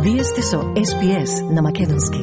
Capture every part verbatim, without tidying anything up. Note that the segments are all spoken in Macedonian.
Вие сте со Ес Би Ес на Македонски.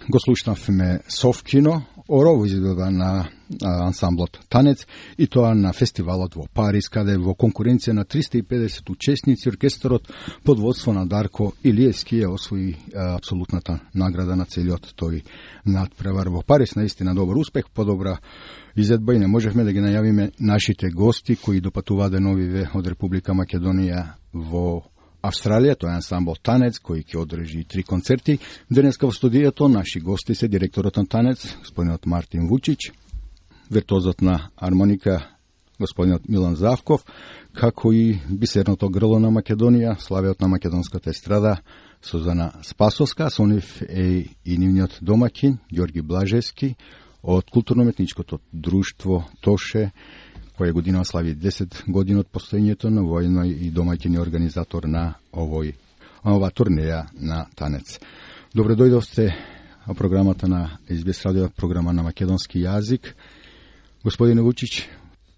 Го слушнавме Совкино, орово изгледа на ансамблот Танец, и тоа на фестивалот во Париз, каде во конкуренција на триста и педесет учесници оркестарот под водство на Дарко Илиевски ја освои а, апсолутната награда на целиот тој надпревар во Париз. Наистина добар успех, подобра изедба, и не можевме да ги најавиме нашите гости кои допатуваат деновиве од Република Македонија во Австралија. Тоа е ансамбл Танец кој ќе одржи три концерти. Денеска во студијето наши гости се директорот на Танец, господинот Мартин Вучич, виртуозот на армоника господинот Милан Завков, како и бисерното грло на Македонија, славиот на македонската естрада Сузана Спасовска. Со нив е и нивниот домаќин Ѓорги Блажевски од културно-уметничкото друштво Тоше, која година слави десет години од постоењето на војно и домаќин организатор на овој ова турнеја на Танец. Добре дојдовте на програмата на Ес Би Ес радио, програма на македонски јазик. Господине Вучич,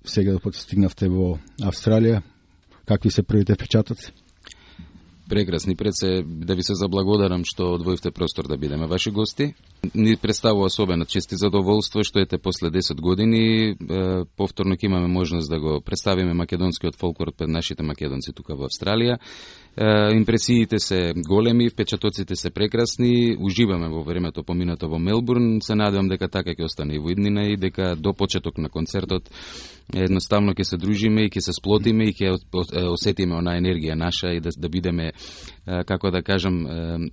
сега да постигнавте во Австралија, какви се првите впечатоци? Прекрасни. Пред се да ви се заблагодарам што одвоивте простор да бидеме ваши гости. Ни представува особена чест и задоволство што ете после десет години е, повторно ќе имаме можност да го представиме македонскиот фолклор пред нашите македонци тука во Австралија. Е, импресиите се големи, впечатоците се прекрасни, уживаме во времето поминато во Мелбурн. Се надевам дека така ќе остане и во иднина и дека до почеток на концертот едноставно ќе се дружиме и ќе се сплотиме и ќе осетиме она енергија наша и да, да бидеме, како да кажам,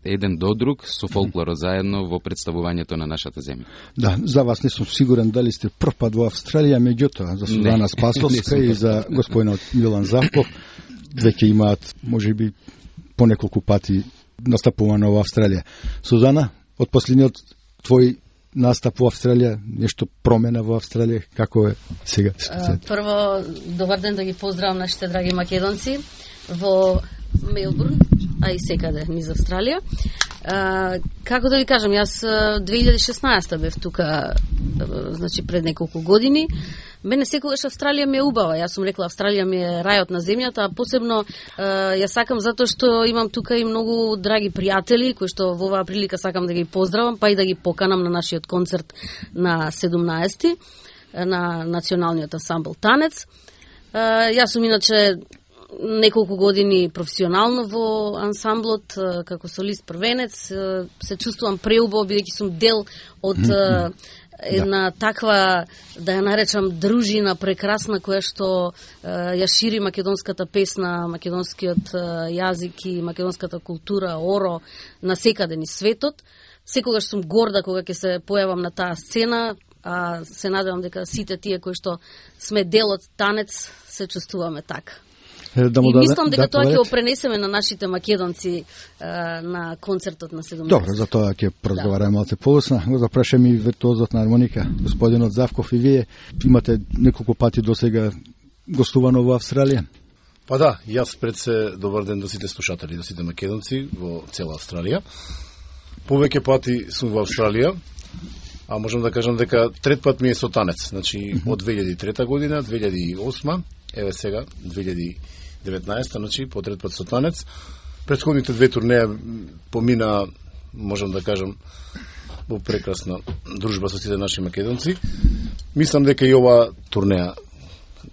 еден до друг со фолклорот заедно во представувањето на нашата земја. Да, за вас не сум сигурен дали сте прв пат во Австралија, меѓутоа за Сузана Спасовска и за господинот Милан Завков веќе имаат можеби по неколку пати настапувано во Австралија. Сузана, од последниот твој настап во Австралија, нешто промена во Австралија, како е сега ситуацијата? Прво, добар ден, да ги поздравам нашите драги македонци во Мелбурн, а и секаде низ Австралија. А, како да ви кажам, јас две илјади и шеснаесета бев тука, значи пред неколку години. Мене секогаш Австралија ми е убава. Јас сум рекла, Австралија ми е рајот на земјата, а посебно ја сакам затоа што имам тука и многу драги пријатели кои што во оваа прилика сакам да ги поздравам, па и да ги поканам на нашиот концерт на седумнаесети на националниот ансамбл Танец. Јас сум иначе неколку години професионално во ансамблот како солист првенец. Се чувствувам преубаво бидејќи сум дел од една да. таква, да ја наречам, дружина прекрасна која што е, ја шири македонската песна, македонскиот е, јазик и македонската култура, оро, на секаде низ светот. Секогаш сум горда кога ќе се појавам на таа сцена, а се надевам дека сите тие кои што сме дел од Танец се чувствуваме така. Да и мислам дека да, тоа ќе го пренесеме на нашите македонци е, на концертот на седумнаесети. Добро, за тоа ќе разговараме да. малце полусно. Го запрашаме и виртуозот на армоника, господинот Завков, и вие имате неколку пати досега гостувано во Австралија? Па да, јас пред се добар ден до сите слушатели, до сите македонци во цела Австралија. Повеќе пати сум во Австралија, а можам да кажам дека трет пат ми е со Танец, значи mm-hmm. од две илјади и трета година, две илјади и осма, еве сега две илјади и деветнаесета, значи по трет пат со Танец. Претходните две турнеја помина, можам да кажам, во прекрасна дружба со сите наши македонци. Мислам дека и ова турнеја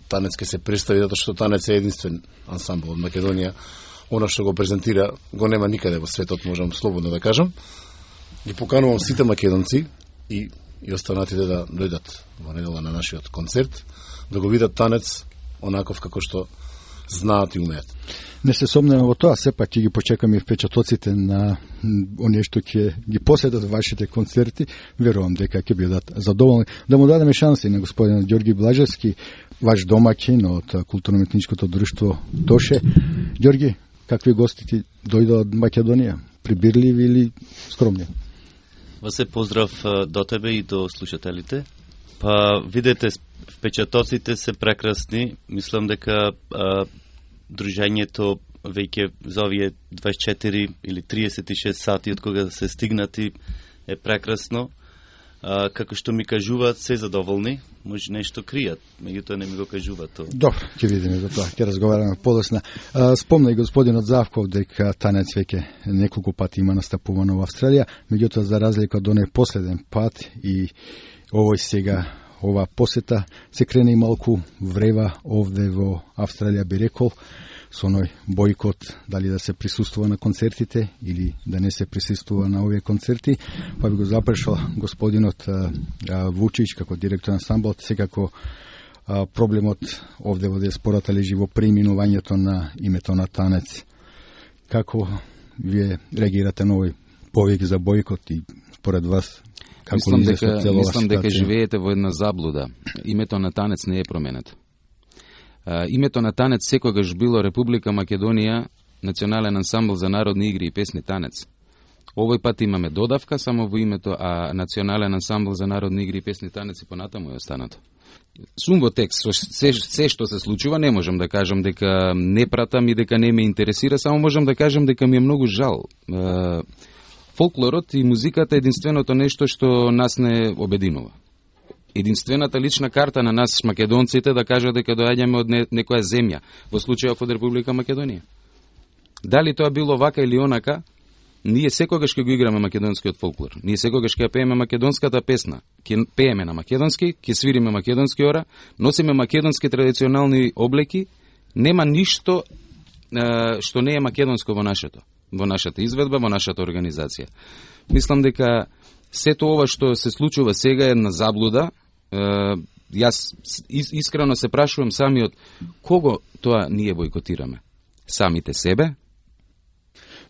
танец ќе се представи, затоа што танец е единствен ансамбл од Македонија. Она што го презентира го нема никаде во светот, можам слободно да кажам. Ги поканувам сите македонци и и останатите да дојдат во недела на нашиот концерт, да го видат танец онаков како што знаат и умеат. Не се сомнеме во тоа, сепак ќе ги почекаме и впечатоците на оние што ќе ги поседат вашите концерти. Верувам дека ќе бидат задоволни. Да му дадеме шанси на господин Ѓорги Блажевски, ваш домаќин од културно-уметничкото друштво Тоше. Ѓорги, какви гости ти дојдоа од Македонија? Прибирливи или скромни? Вас се поздрав до тебе и до слушателите. Па, видете, впечатоците се прекрасни. Мислам дека а, дружењето веќе за овие дваесет и четири или триесет и шест сати од кога се стигнати е прекрасно. А, како што ми кажуваат, се задоволни, може нешто кријат, меѓутоа не ми го кажуваат тоа. Добро, ќе видиме за тоа, ќе разговараме подосна. Спомна и господинот Завков дека танец веќе неколку пати има настапувано во Австралија, меѓутоа за разлика од оној последен пат и овој сега, ова посета, се крene и малку врева овде во Австралија, би рекол, со оној бојкот, дали да се присуствува на концертите или да не се присуствува на овие концерти, па би го запрашал господинот а, а, Вучич, како директор на ансамблот, секако а, проблемот овде во диаспората лежи во преименувањето на името на танец. Како вие реагирате на овој повик за бојкот и според вас како мислам дека, целова мислам дека ситуација? живеете во една заблуда. Името на танец не е променето. Uh, името на танец секогаш било Република Македонија, национален ансамбл за народни игри и песни танец. Овој пат имаме додавка само во името, а национален ансамбл за народни игри и песни танец и понатаму е останато. Сум во текст, се, се што се случува, не можам да кажам дека не пратам и дека не ме интересира, само можам да кажам дека ми е многу жал. Uh, фолклорот и музиката е единственото нешто што нас не обединува. Единствената лична карта на нас македонците да кажа дека доаѓаме од не, некоја земја, во случајов од Република Македонија. Дали тоа било вака или онака, ние секогаш ќе го играме македонскиот фолклор. Ние секогаш ќе пееме македонската песна. Ќе пееме на македонски, ќе свириме македонски ора, носиме македонски традиционални облеки, нема ништо е, што не е македонско во нашето, во нашата изведба, во нашата организација. Мислам дека сето ова што се случува сега е една заблуда. Е, јас искрено се прашувам самиот кого тоа ние бојкотираме? Самите себе?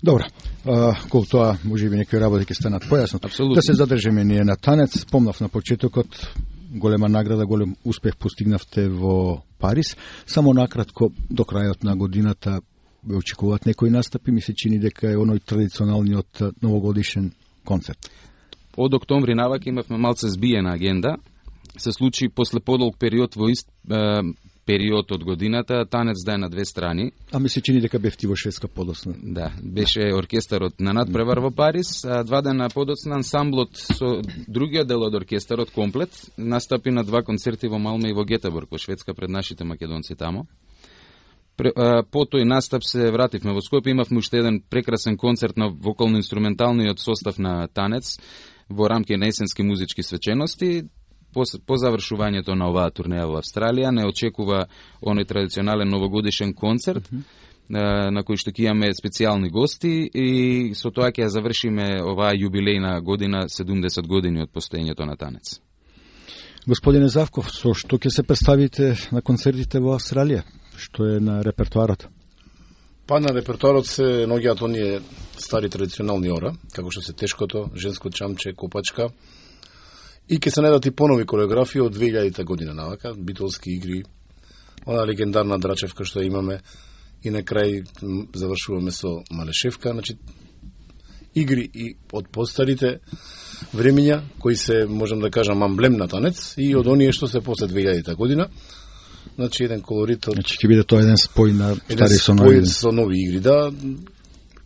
Добро, а, кол тоа може би некои работи ќе станат појасно. Апсолутно. Да се задржиме ние на танец. Спомнав на почетокот, голема награда, голем успех постигнавте во Париз. Само накратко, до крајот на годината ве очекуваат некои настапи, ми се чини дека е оној традиционалниот новогодишен концерт. Од октомври навака имавме малце збиена агенда. Се случи после подолг период во ист е, период од годината, танец да е на две страни. А ми се чини дека бевти во Шведска подоцна. Да, беше оркестарот на надпревар во Париз, а два дена подоцна ансамблот со другиот дел од оркестарот комплет настапи на два концерти во Малме и во Гетеборг во Шведска пред нашите македонци тамо. По тој настап се вративме во Скопје, имавме уште еден прекрасен концерт на вокално-инструменталниот состав на танец во рамки на есенски музички свечености. По, по завршувањето на оваа турнеја во Австралија не очекува оној традиционален новогодишен концерт, mm -hmm. на кој што ќе имаме специјални гости и со тоа ќе завршиме оваа јубилејна година, седумдесет години од постоењето на танец. Господине Завков, со што ќе се представите на концертите во Австралија? Што е на репертуарот? Па на репертуарот се наоѓаат оние стари традиционални ора, како што се тешкото, женско чамче, копачка. И ќе се најдат и понови кореографии од две илјадета година навака, битолски игри, она легендарна драчевка што имаме и на крај завршуваме со Малешевка, значи игри и од постарите времења кои се, можам да кажам, амблем на танец и од оние што се после две илјадета година. Значи еден колорит од... Значи ќе биде тоа еден спој на стари со нови. нови. со нови игри, да.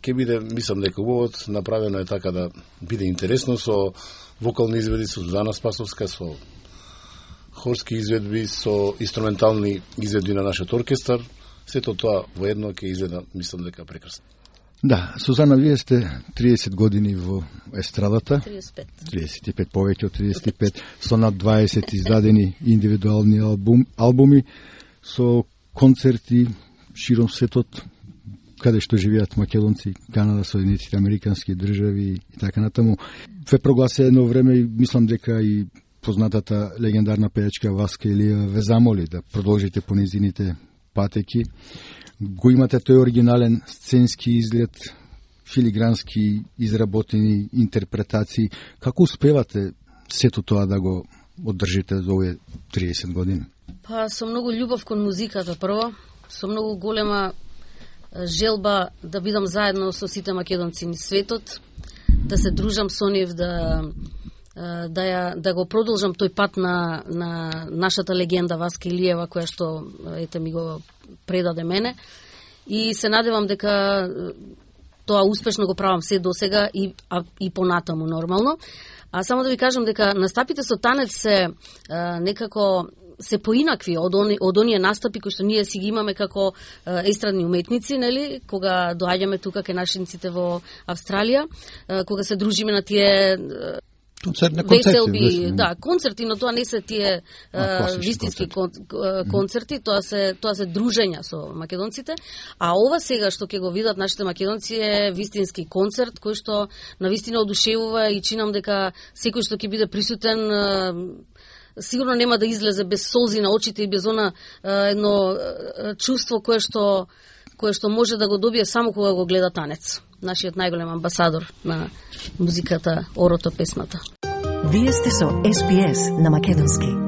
Ќе биде, мислам дека убавот направено е така да биде интересно со вокални изведби, со Зузана Спасовска, со хорски изведби, со инструментални изведби на нашиот оркестар. Сето тоа воедно ќе изгледа, мислам дека прекрасно. Да, Сузана, вие сте триесет години во естрадата. триесет и пет. триесет и пет, повеќе од триесет и пет, со над дваесет издадени индивидуални албум, албуми. со концерти широм светот, каде што живеат македонци, Канада, Соединетите американски држави и така натаму. Ве прогласи едно време и мислам дека и познатата легендарна пејачка Васка Илиева ве замоли да продолжите по незините патеки. Го имате тој оригинален сценски изглед, филигрански изработени интерпретации. Како успевате сето тоа да го одржите за овие триесет години? Па со многу љубов кон музиката прво, со многу голема желба да бидам заедно со сите македонци низ светот, да се дружам со нив, да да ја да го продолжам тој пат на на нашата легенда Васка Илиева, која што ете ми го предаде мене, и се надевам дека тоа успешно го правам се досега и а, и понатаму нормално. А само да ви кажам дека настапите со танец се а, некако се поинакви од они, од оние настапи кои што ние си ги имаме како а, естрадни уметници, нели, кога доаѓаме тука кај нашиниците во Австралија, а, кога се дружиме на тие концерти, веселби, веселби, да, концерти, но тоа не се тие а, вистински концерти, концерти тоа се тоа се дружења со македонците, а ова сега што ќе го видат нашите македонци е вистински концерт кој што навистина одушевува и чинам дека секој што ќе биде присутен а, сигурно нема да излезе без солзи на очите и без она а, едно а, чувство кое што кое што може да го добие само кога го гледа танец. Нашиот најголем амбасадор на музиката, орото, песната. Вие сте со Ес Би Ес на македонски.